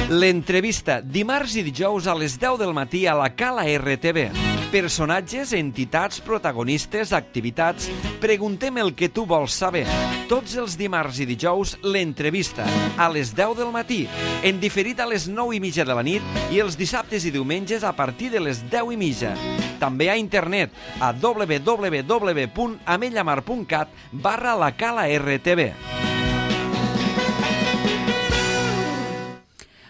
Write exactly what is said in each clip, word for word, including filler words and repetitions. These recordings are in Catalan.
L'entrevista, dimarts i dijous a les deu del matí a la Cala R T V. Personatges, entitats, protagonistes, activitats... Preguntem el que tu vols saber. Tots els dimarts i dijous, l'entrevista, a les deu del matí, en diferit a les nou i mitja de la nit i els dissabtes i diumenges a partir de les deu i mitja. També a internet, a w w w punt amellamar punt cat barra la Cala R T V.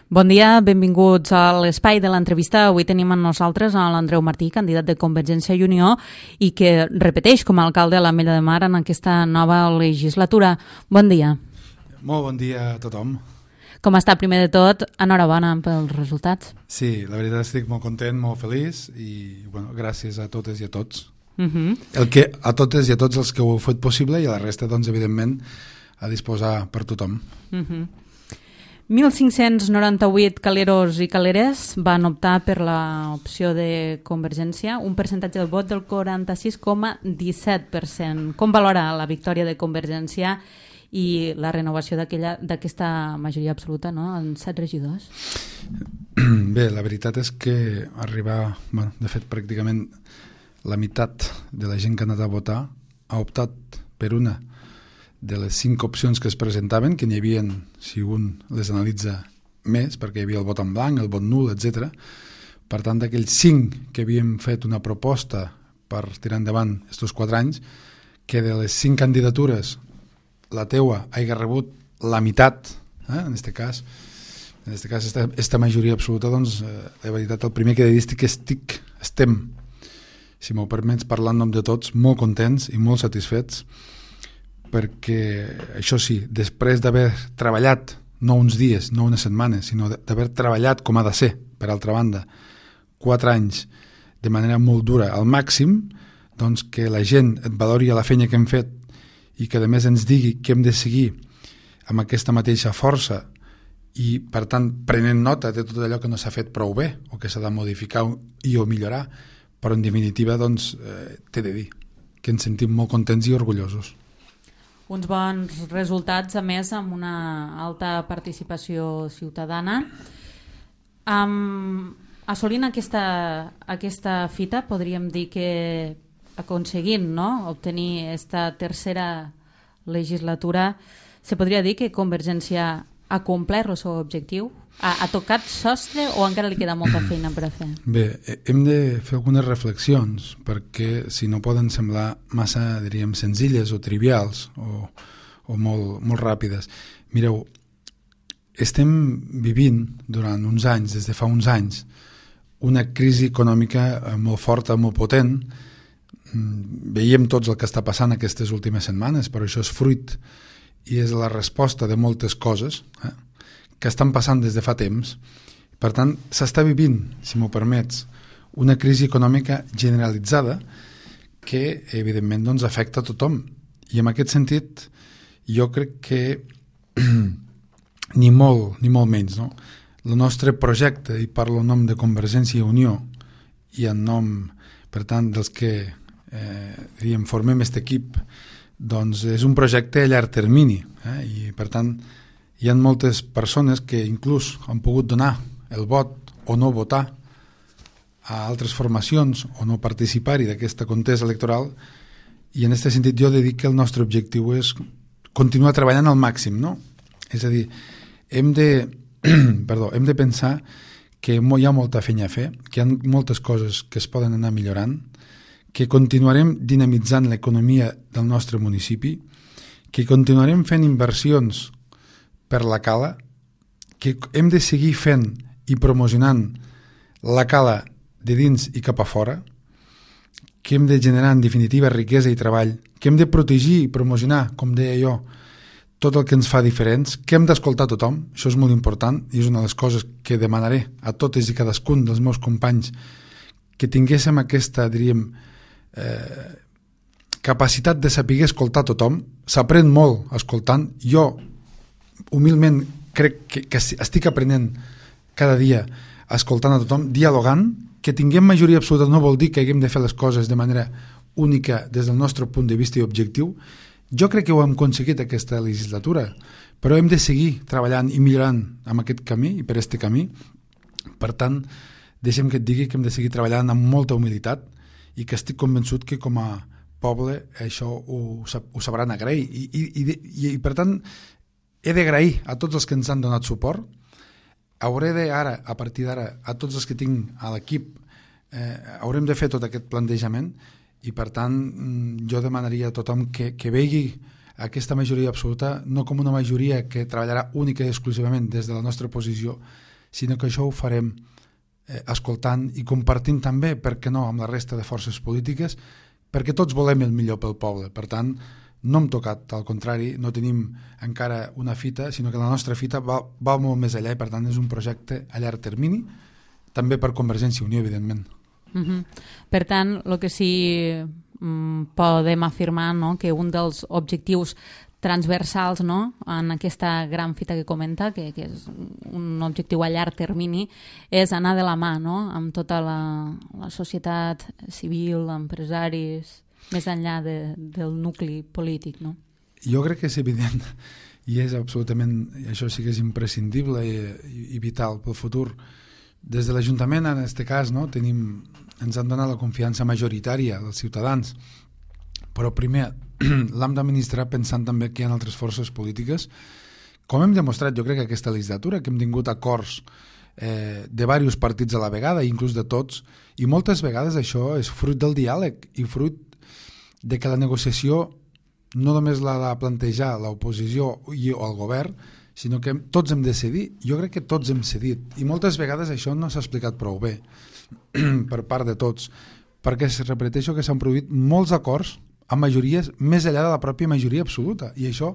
Bon dia, benvinguts a l'espai de l'entrevista. Avui tenim amb nosaltres a l'Andreu Martí, candidat de Convergència i Unió i que repeteix com a alcalde a l'Ametlla de Mar en aquesta nova legislatura. Bon dia. Molt bon dia a tothom. Com està? Primer de tot, enhorabona pels resultats. Sí, la veritat estic molt content, molt feliç i bueno, gràcies a totes i a tots. Uh-huh. El que, a totes i a tots els que ho heu fet possible i a la resta, doncs, evidentment, a disposar per tothom. Uh-huh. mil cinc-cents noranta-vuit caleros i caleres van optar per l'opció de Convergència, un percentatge del vot del quaranta-sis coma disset per cent. Com valora la victòria de Convergència i la renovació d'aquesta majoria absoluta, no?, en set regidors? Bé, la veritat és que arribar, bueno, de fet, pràcticament la meitat de la gent que ha anat a votar ha optat per una de les cinc opcions que es presentaven, que n'hi havia, si un les analitza més, perquè hi havia el vot en blanc, el vot nul, etcètera. Per tant, d'aquells cinc que havíem fet una proposta per tirar endavant aquests quatre anys, que de les cinc candidatures la teua hagi rebut la meitat, eh? en aquest cas, en aquest cas, esta, esta majoria absoluta, doncs, eh, la veritat, el primer que he de dir és que estic, estem, si m'ho permets, parlar en nom de tots, molt contents i molt satisfets, perquè, això sí, després d'haver treballat, no uns dies, no unes setmanes, sinó d'haver treballat com ha de ser, per altra banda, quatre anys de manera molt dura, al màxim, doncs que la gent et valori la feina que hem fet i que a més ens digui que hem de seguir amb aquesta mateixa força i, per tant, prenent nota de tot allò que no s'ha fet prou bé o que s'ha de modificar i o millorar, però en definitiva, doncs, eh, t'he de dir que ens sentim molt contents i orgullosos. Uns bons resultats, a més, amb una alta participació ciutadana. Um, assolint aquesta, aquesta fita, podríem dir que aconseguint, no?, obtenir aquesta tercera legislatura, se podria dir que Convergència ha complert el seu objectiu? Ha, ha tocat sostre o encara li queda molta feina per a fer? Bé, hem de fer algunes reflexions perquè si no poden semblar massa, diríem, senzilles o trivials o, o molt, molt ràpides. Mireu, estem vivint durant uns anys, des de fa uns anys, una crisi econòmica molt forta, molt potent. Veiem tots el que està passant aquestes últimes setmanes, però això és fruit i és la resposta de moltes coses, eh? que estan passant des de fa temps. Per tant, s'està vivint, si m'ho permets, una crisi econòmica generalitzada que, evidentment, doncs, afecta a tothom. I en aquest sentit, jo crec que ni molt, ni molt menys, no? El nostre projecte, i parlo en nom de Convergència i Unió, i en nom, per tant, dels que eh, diríem, formem aquest equip, doncs és un projecte a llarg termini, eh? I, per tant, hi ha moltes persones que inclús han pogut donar el vot o no votar a altres formacions o no participar-hi d'aquesta contesa electoral, i en aquest sentit jo he de dir que el nostre objectiu és continuar treballant al màxim, no? És a dir, hem de, perdó, hem de pensar que hi ha molta feina a fer, que hi ha moltes coses que es poden anar millorant, que continuarem dinamitzant l'economia del nostre municipi, que continuarem fent inversions per la Cala, que hem de seguir fent i promocionant la Cala de dins i cap a fora, que hem de generar en definitiva riquesa i treball, que hem de protegir i promocionar, com deia jo, tot el que ens fa diferents, que hem d'escoltar tothom, això és molt important i és una de les coses que demanaré a totes i cadascun dels meus companys, que tinguéssim aquesta, diríem, eh, capacitat de saber escoltar tothom. S'aprèn molt escoltant. Jo humilment crec que, que estic aprenent cada dia escoltant a tothom, dialogant. Que tinguem majoria absoluta no vol dir que haguem de fer les coses de manera única des del nostre punt de vista i objectiu. Jo crec que ho hem aconseguit aquesta legislatura, però hem de seguir treballant i millorant amb aquest camí i per este camí. Per tant, deixem que et digui que hem de seguir treballant amb molta humilitat i que estic convençut que com a poble això ho, ho sabran agrair. I, i, i, i per tant, he d'agrair a tots els que ens han donat suport. Hauré de, ara, a partir d'ara, a tots els que tinc a l'equip, eh, haurem de fer tot aquest plantejament i per tant jo demanaria a tothom que, que vegi aquesta majoria absoluta no com una majoria que treballarà única i exclusivament des de la nostra posició, sinó que això ho farem eh, escoltant i compartint també, per què no, amb la resta de forces polítiques, perquè tots volem el millor pel poble. Per tant, no hem tocat, al contrari, no tenim encara una fita, sinó que la nostra fita va, va molt més allà i per tant és un projecte a llarg termini, també per Convergència i Unió, evidentment. Uh-huh. Per tant, el que sí mm, podem afirmar, no?, que un dels objectius transversals, no?, en aquesta gran fita que comenta, que, que és un objectiu a llarg termini, és anar de la mà, no?, amb tota la, la societat civil, empresaris, més enllà de, del nucli polític, no? Jo crec que és evident i és absolutament, això sí que és imprescindible i, i vital pel futur. Des de l'Ajuntament, en aquest cas, no, tenim, ens han donat la confiança majoritària dels ciutadans, però primer l'hem d'administrar pensant també que hi ha altres forces polítiques. Com hem demostrat, jo crec que aquesta legislatura, que hem tingut acords eh, de diversos partits a la vegada, inclús de tots, i moltes vegades això és fruit del diàleg i fruit de que la negociació no només l'ha de plantejar l'oposició i el govern, sinó que tots hem de cedir. Jo crec que tots hem cedit i moltes vegades això no s'ha explicat prou bé per part de tots, perquè es repeteixo que s'han produït molts acords amb majories més enllà de la pròpia majoria absoluta, i això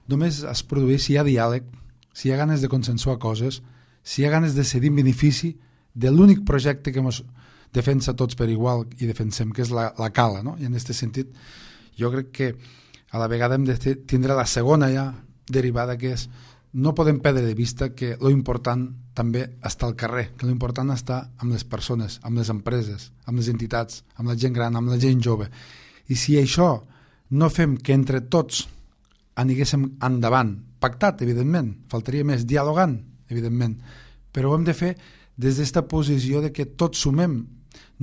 només es produeix si hi ha diàleg, si hi ha ganes de consensuar coses, si hi ha ganes de cedir en benefici de l'únic projecte que ens defensa tots per igual i defensem, que és la, la cala, no? I en aquest sentit jo crec que a la vegada hem de tindre la segona ja derivada, que és no podem perdre de vista que lo important també està al carrer, que lo important està amb les persones, amb les empreses, amb les entitats, amb la gent gran, amb la gent jove. I si això no fem que entre tots aniguéssim endavant, pactat, evidentment, faltaria més, dialogant, evidentment, però ho hem de fer des d'esta posició de que tots sumem.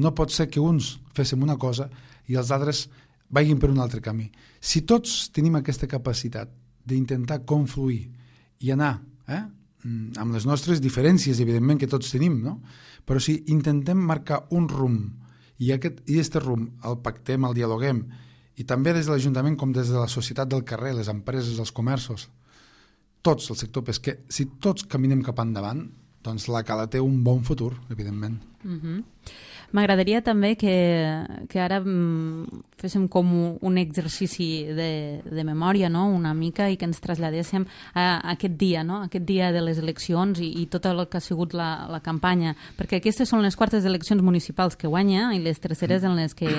No pot ser que uns féssim una cosa i els altres vagin per un altre camí. Si tots tenim aquesta capacitat d'intentar confluir i anar eh, amb les nostres diferències, evidentment que tots tenim, no? Però si intentem marcar un rumb i aquest i este rumb el pactem, el dialoguem, i també des de l'Ajuntament com des de la societat del carrer, les empreses, els comerços, tots, el sector pesquer, si tots caminem cap endavant, doncs la cala té un bon futur, evidentment. Uh-huh. M'agradaria també que, que ara mm, féssim com un exercici de, de memòria, no?, una mica, i que ens traslladéssim a, a aquest dia, no?, aquest dia de les eleccions i, i tot el que ha sigut la, la campanya, perquè aquestes són les quartes eleccions municipals que guanya i les terceres en les que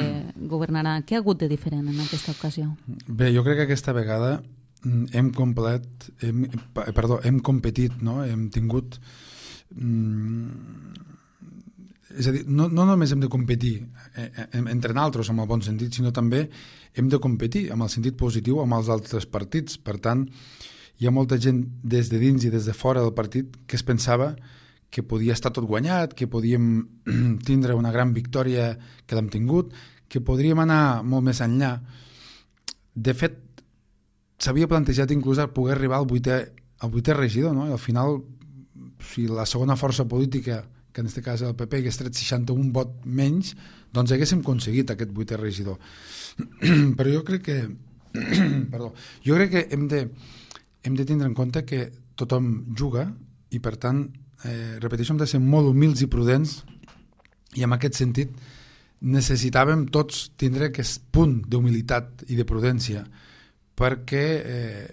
governarà. Què ha hagut de diferent en aquesta ocasió? Bé, jo crec que aquesta vegada hem complet, hem, perdó, hem competit, no?, hem tingut... Mm, és a dir, no, no només hem de competir entre nosaltres amb el bon sentit, sinó també hem de competir amb el sentit positiu amb els altres partits. Per tant, hi ha molta gent des de dins i des de fora del partit que es pensava que podia estar tot guanyat, que podíem tindre una gran victòria, que l'hem tingut, que podríem anar molt més enllà. De fet, s'havia plantejat inclús poder arribar al vuitè, al vuitè regidor, no? I al final, si la segona força política, que en aquest cas el P P, hagués tret seixanta-un vot menys, doncs haguéssim aconseguit aquest vuitè regidor. Però jo crec que perdó, jo crec que hem de, hem de tindre en compte que tothom juga i per tant, eh, repeteixo, hem de ser molt humils i prudents, i en aquest sentit necessitàvem tots tindre aquest punt d'humilitat i de prudència, perquè eh,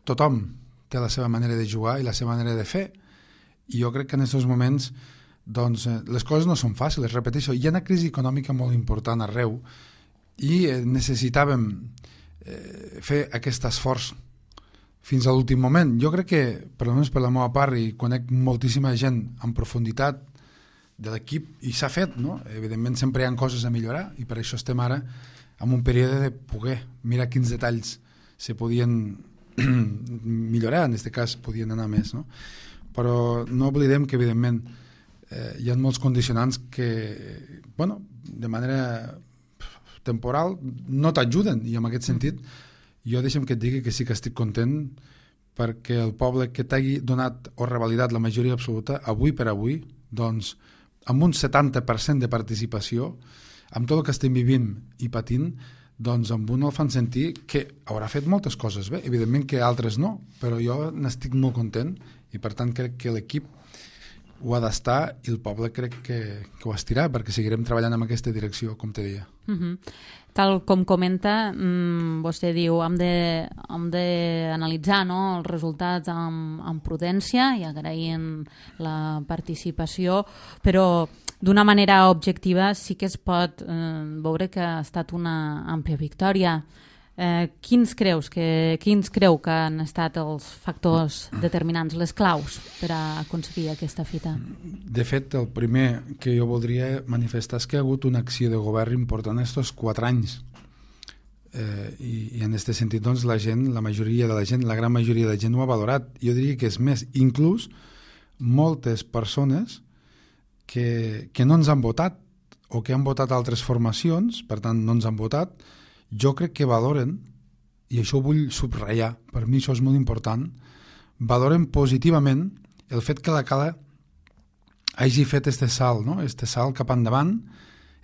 tothom té la seva manera de jugar i la seva manera de fer, i jo crec que en aquests moments doncs les coses no són fàcils, repeteixo, hi ha una crisi econòmica molt important arreu i necessitàvem eh, fer aquest esforç fins a l'últim moment. Jo crec que, per almenys per la meva part, i conec moltíssima gent en profunditat de l'equip, i s'ha fet, no? Evidentment sempre hi ha coses a millorar i per això estem ara en un període de poder mirar quins detalls se podien millorar, en aquest cas podien anar més, no? Però no oblidem que evidentment eh, hi ha molts condicionants que, bueno, de manera temporal no t'ajuden, i en aquest sentit jo deixem que et digui que sí que estic content perquè el poble que t'hagi donat o revalidat la majoria absoluta, avui per avui, doncs, amb un setanta per cent de participació, amb tot el que estem vivint i patint, doncs amb un el fan sentir que haurà fet moltes coses bé, evidentment que altres no, però jo n'estic molt content i per tant crec que l'equip ho ha d'estar i el poble crec que, que ho estirà perquè seguirem treballant en aquesta direcció, com te deia. Uh-huh. Tal com comenta, mmm, vostè diu hem de, hem de analitzar, no, els resultats amb, amb prudència i agraint la participació, però d'una manera objectiva sí que es pot eh, veure que ha estat una àmplia victòria. Eh, quins creus que, quins creu que han estat els factors determinants, les claus per a aconseguir aquesta fita? De fet, el primer que jo voldria manifestar és que hi ha hagut una acció de govern important estos quatre anys. Eh, i, i en aquest sentit, doncs, la gent, la majoria de la gent, la gran majoria de la gent ho ha valorat. Jo diria que és més, inclús moltes persones que, que no ens han votat o que han votat altres formacions, per tant no ens han votat, jo crec que valoren, i això ho vull subratllar, per mi això és molt important, valoren positivament el fet que la Cala hagi fet este salt, no? este salt cap endavant,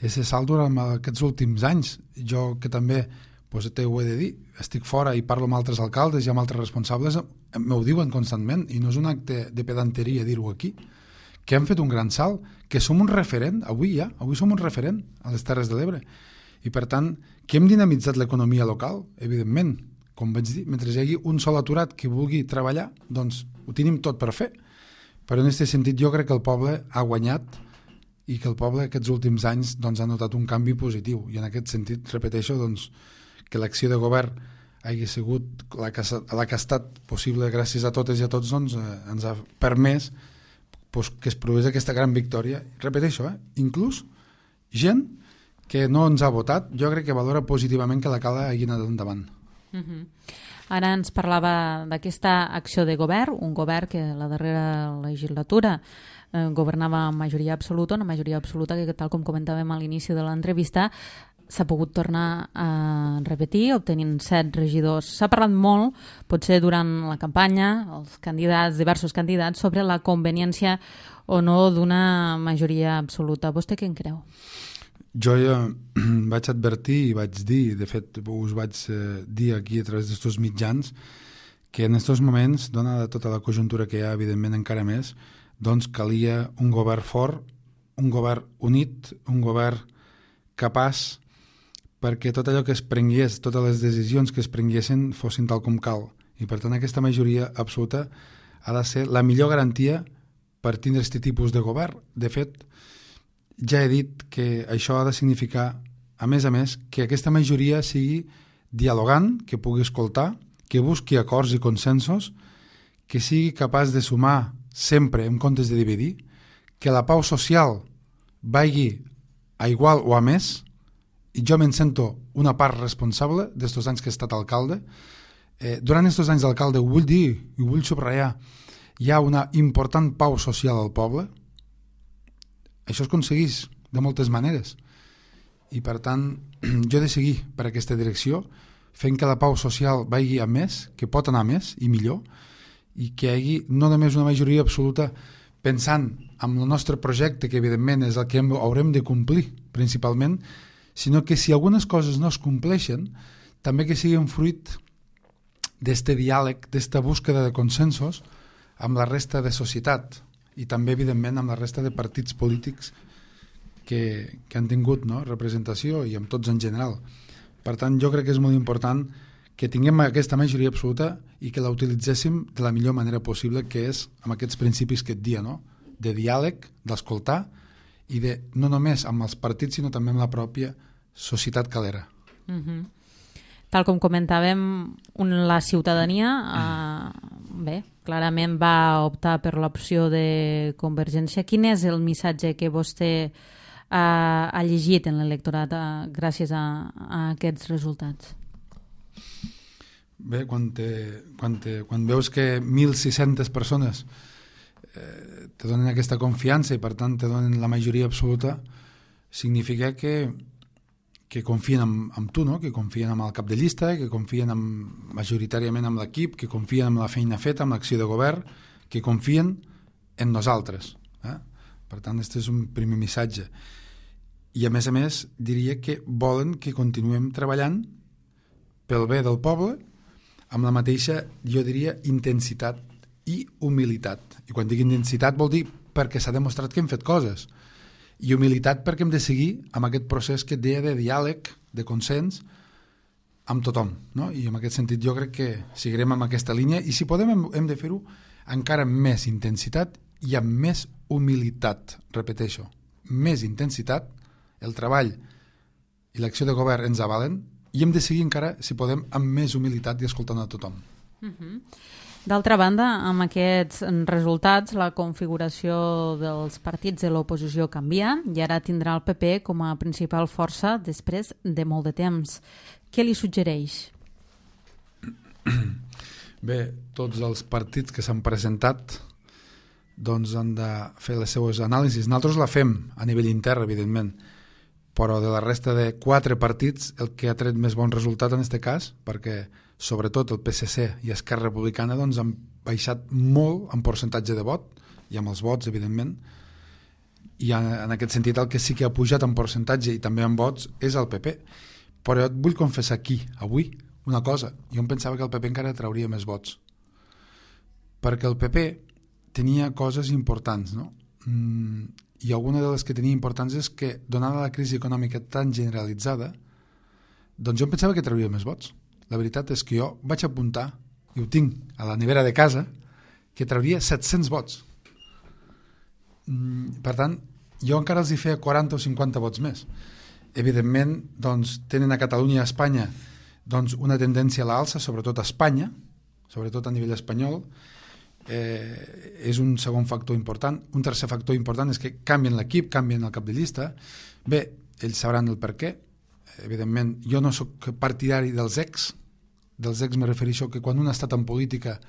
este salt durant aquests últims anys. Jo que també, doncs, te ho he de dir, estic fora i parlo amb altres alcaldes i amb altres responsables, m'ho diuen constantment, i no és un acte de pedanteria dir-ho aquí, que hem fet un gran salt, que som un referent, avui ja, avui som un referent a les Terres de l'Ebre. I per tant, que hem dinamitzat l'economia local, evidentment, com vaig dir, mentre hi hagi un sol aturat que vulgui treballar, doncs ho tenim tot per fer. Però en aquest sentit jo crec que el poble ha guanyat i que el poble aquests últims anys doncs, ha notat un canvi positiu. I en aquest sentit, repeteixo, doncs, que l'acció de govern hagi sigut la que, la que ha estat possible gràcies a totes i a tots, doncs, eh, ens ha permès pues, que es produís aquesta gran victòria. Repeteixo, eh? inclús gent que no ens ha votat, jo crec que valora positivament que la Cala hagi anat endavant. Uh-huh. Ara ens parlava d'aquesta acció de govern, un govern que la darrera legislatura eh, governava amb majoria absoluta, una majoria absoluta que, tal com comentàvem a l'inici de l'entrevista, s'ha pogut tornar a repetir, obtenint set regidors. S'ha parlat molt, potser durant la campanya, els candidats, diversos candidats, sobre la conveniència o no d'una majoria absoluta. Vostè què en creu? Jo ja vaig advertir i vaig dir, de fet us vaig eh, dir aquí a través d'estos mitjans, que en aquests moments, donada tota la conjuntura que hi ha, evidentment encara més, doncs calia un govern fort, un govern unit, un govern capaç perquè tot allò que es prengués, totes les decisions que es prenguessin fossin tal com cal. I per tant aquesta majoria absoluta ha de ser la millor garantia per tindre aquest tipus de govern. De fet, ja he dit que això ha de significar, a més a més, que aquesta majoria sigui dialogant, que pugui escoltar, que busqui acords i consensos, que sigui capaç de sumar sempre en comptes de dividir, que la pau social vagi a igual o a més, i jo me'n sento una part responsable d'estos anys que he estat alcalde. Eh, durant estos anys d'alcalde, ho vull dir, ho vull subratllar, hi ha una important pau social al poble. Això es aconsegueix de moltes maneres i per tant jo he de seguir per aquesta direcció fent que la pau social vagi a més, que pot anar a més i millor, i que hi hagi no només una majoria absoluta pensant en el nostre projecte, que evidentment és el que hem, haurem de complir principalment, sinó que si algunes coses no es compleixen, també que siguin fruit d'este diàleg, d'esta búsqueda de consensos amb la resta de societat i també, evidentment, amb la resta de partits polítics que, que han tingut, no?, representació i amb tots en general. Per tant, jo crec que és molt important que tinguem aquesta majoria absoluta i que la utilitzéssim de la millor manera possible, que és amb aquests principis que et dia, no?, de diàleg, d'escoltar i de no només amb els partits, sinó també amb la pròpia societat calera. Uh-huh. Tal com comentàvem, la ciutadania eh, bé, clarament va optar per l'opció de Convergència. Quin és el missatge que vostè ha, ha llegit en l'electorat eh, gràcies a, a aquests resultats? Bé, quan, te, quan, te, quan veus que mil sis-centes persones eh, te donen aquesta confiança i per tant te donen la majoria absoluta, significa que, que confien en, en tu, no? Que confien en el cap de llista, que confien en, majoritàriament en l'equip, que confien en la feina feta, en l'acció de govern, que confien en nosaltres. Eh? Per tant, aquest és un primer missatge. I a més a més diria que volen que continuem treballant pel bé del poble amb la mateixa, jo diria, intensitat i humilitat. I quan dic intensitat vol dir perquè s'ha demostrat que hem fet coses, i humilitat perquè hem de seguir amb aquest procés que et deia de diàleg, de consens amb tothom, no? I en aquest sentit jo crec que seguirem amb aquesta línia i si podem hem, hem de fer-ho encara amb més intensitat i amb més humilitat, repeteixo, més intensitat, el treball i l'acció de govern ens avalen i hem de seguir encara, si podem, amb més humilitat i escoltant a tothom. Uh-huh. D'altra banda, amb aquests resultats, la configuració dels partits de l'oposició canvia i ara tindrà el P P com a principal força després de molt de temps. Què li suggereix? Bé, tots els partits que s'han presentat doncs han de fer les seues anàlisis. Nosaltres la fem a nivell intern, evidentment, però de la resta de quatre partits el que ha tret més bon resultat en aquest cas, perquè sobretot el P S C i Esquerra Republicana doncs, han baixat molt en percentatge de vot i amb els vots, evidentment, i en, en aquest sentit el que sí que ha pujat en percentatge i també en vots és el P P. Però jo et vull confessar aquí, avui, una cosa. Jo em pensava que el P P encara trauria més vots, perquè el P P tenia coses importants, no? Mm, i alguna de les que tenia importants és que, donada la crisi econòmica tan generalitzada, doncs jo em pensava que trauria més vots. La veritat és que jo vaig apuntar, i ho tinc a la nevera de casa, que trauria set-cents vots. Mm, per tant, jo encara els hi feia quaranta o cinquanta vots més. Evidentment, doncs, tenen a Catalunya i a Espanya doncs, una tendència a l'alça, sobretot a Espanya, sobretot a nivell espanyol, Eh, és un segon factor important. Un tercer factor important és que canvien l'equip, canvien el cap de llista. Bé, ells sabran el per què. Evidentment, jo no sóc partidari dels ex. Dels ex me refereixo que quan un ha estat en política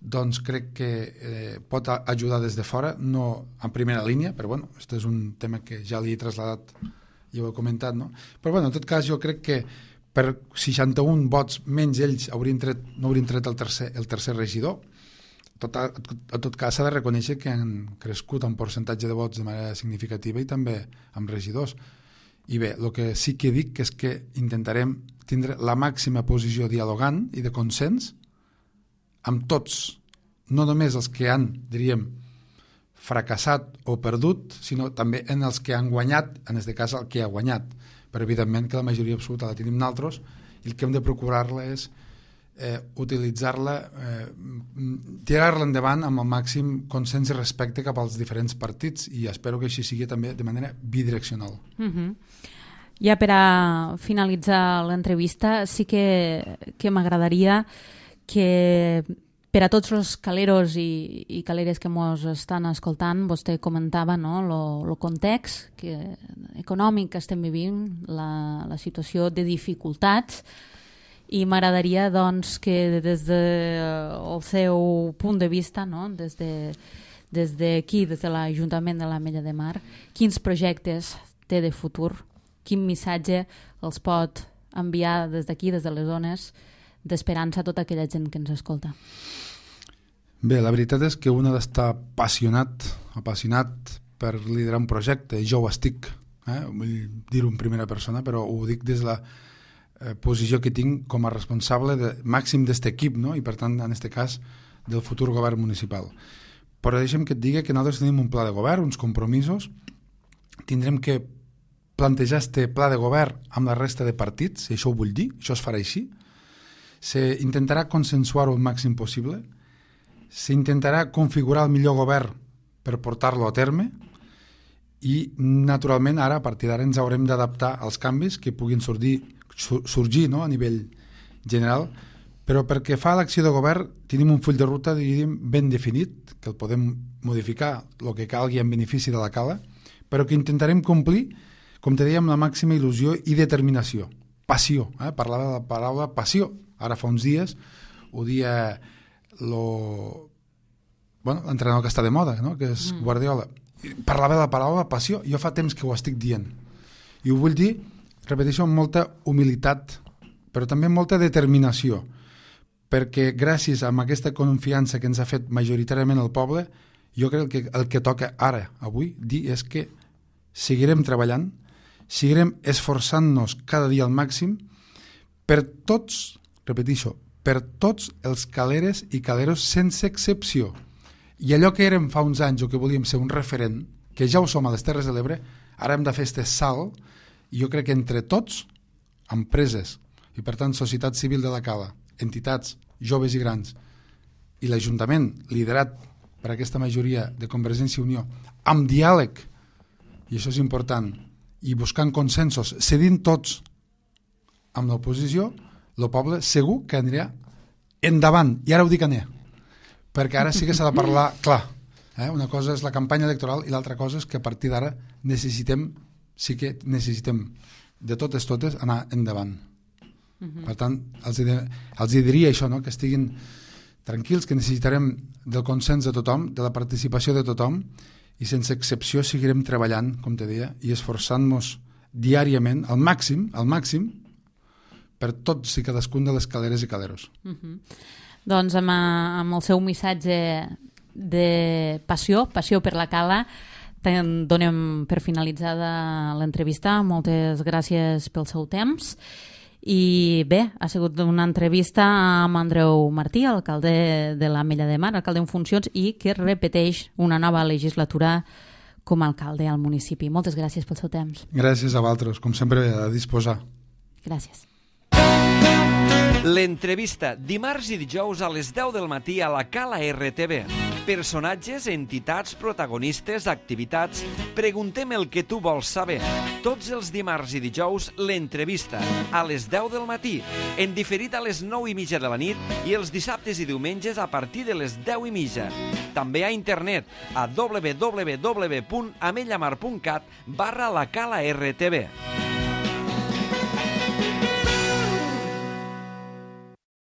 doncs crec que eh, pot ajudar des de fora, no en primera línia, però bueno, aquest és un tema que ja li he traslladat i ho he comentat, no? Però bueno, en tot cas jo crec que per seixanta-un vots menys ells haurien tret, no haurien tret el tercer, el tercer regidor. Tot, a, a tot cas s'ha de reconèixer que han crescut en percentatge de vots de manera significativa i també amb regidors. I bé, el que sí que dic és que intentarem tindre la màxima posició dialogant i de consens amb tots, no només els que han, diríem, fracassat o perdut, sinó també en els que han guanyat, en aquest cas el que ha guanyat. Però evidentment que la majoria absoluta la tenim nosaltres i el que hem de procurar-la és Eh, utilitzar-la, eh, tirar-la endavant amb el màxim consens i respecte cap als diferents partits i espero que així sigui també de manera bidireccional. Uh-huh. Ja per a finalitzar l'entrevista sí que, que m'agradaria que per a tots els caleros i, i caleres que mos estan escoltant, vostè comentava no, lo, lo context que, econòmic que estem vivint, la, la situació de dificultats. I m'agradaria doncs, que des del seu punt de vista, no? des de, des d'aquí, des de l'Ajuntament de l'Ametlla de Mar, quins projectes té de futur, quin missatge els pot enviar des d'aquí, des de les zones, d'esperança a tota aquella gent que ens escolta. Bé, la veritat és que un ha d'estar apassionat, apassionat per liderar un projecte, i jo ho estic, eh? vull dir-ho en primera persona, però ho dic des de la posició que tinc com a responsable de, màxim d'aquest equip, no? I per tant, en aquest cas, del futur govern municipal. Però deixa'm que et digui que nosaltres tenim un pla de govern, uns compromisos, tindrem que plantejar este pla de govern amb la resta de partits, i això ho vull dir, això es farà així, s'intentarà consensuar-ho el màxim possible, s'intentarà configurar el millor govern per portar-lo a terme, i naturalment ara, a partir d'ara, ens haurem d'adaptar als canvis que puguin sorgir sorgir no? a nivell general, però perquè fa l'acció de govern tenim un full de ruta diríem, ben definit, que el podem modificar el que calgui en benefici de la cala, però que intentarem complir, com te deia, amb la màxima il·lusió i determinació. Passió, eh? Parlava de la paraula passió Ara fa uns dies ho dia lo... bueno, l'entrenador que està de moda, no? Que és mm. Guardiola. Parlava de la paraula passió, jo fa temps que ho estic dient. I ho vull dir, repeteixo, amb molta humilitat, però també amb molta determinació, perquè gràcies a aquesta confiança que ens ha fet majoritàriament el poble, jo crec que el que toca ara, avui, dir és que seguirem treballant, seguirem esforçant-nos cada dia al màxim per tots, repeteixo, per tots els caleres i caleros sense excepció. I allò que érem fa uns anys o que volíem ser un referent, que ja ho som a les Terres de l'Ebre, ara hem de fer este salt, i jo crec que entre tots, empreses, i per tant societat civil de la Cala, entitats, joves i grans, i l'Ajuntament, liderat per aquesta majoria de Convergència i Unió, amb diàleg, i això és important, i buscant consensos, cedint tots amb l'oposició, el poble segur que anirà endavant, i ara ho dic a ne, perquè ara sí que s'ha de parlar clar. Eh? Una cosa és la campanya electoral i l'altra cosa és que a partir d'ara necessitem, sí que necessitem de totes totes anar endavant. Uh-huh. Per tant, els, els diria això, no? Que estiguin tranquils, que necessitarem del consens de tothom, de la participació de tothom, i sense excepció seguirem treballant, com te deia, i esforçant-nos diàriament, al màxim, al màxim, per tots i cadascun de les caleres i caleros. Uh-huh. Doncs amb, amb el seu missatge de passió, passió per la Cala, donem per finalitzada l'entrevista. Moltes gràcies pel seu temps. I bé, ha sigut una entrevista amb Andreu Martí, alcalde de l'Ametlla de Mar, alcalde en funcions, i que repeteix una nova legislatura com a alcalde al municipi. Moltes gràcies pel seu temps. Gràcies a vosaltres, com sempre, a disposar. Gràcies. L'entrevista, dimarts i dijous a les deu del matí a la Cala R T V. Personatges, entitats, protagonistes, activitats... Preguntem el que tu vols saber. Tots els dimarts i dijous, l'entrevista, a les deu del matí, en diferit a les nou i mitja de la nit i els dissabtes i diumenges a partir de les deu i mitja. També a internet, a w w w punt ametlamar punt cat barra la Cala R T V.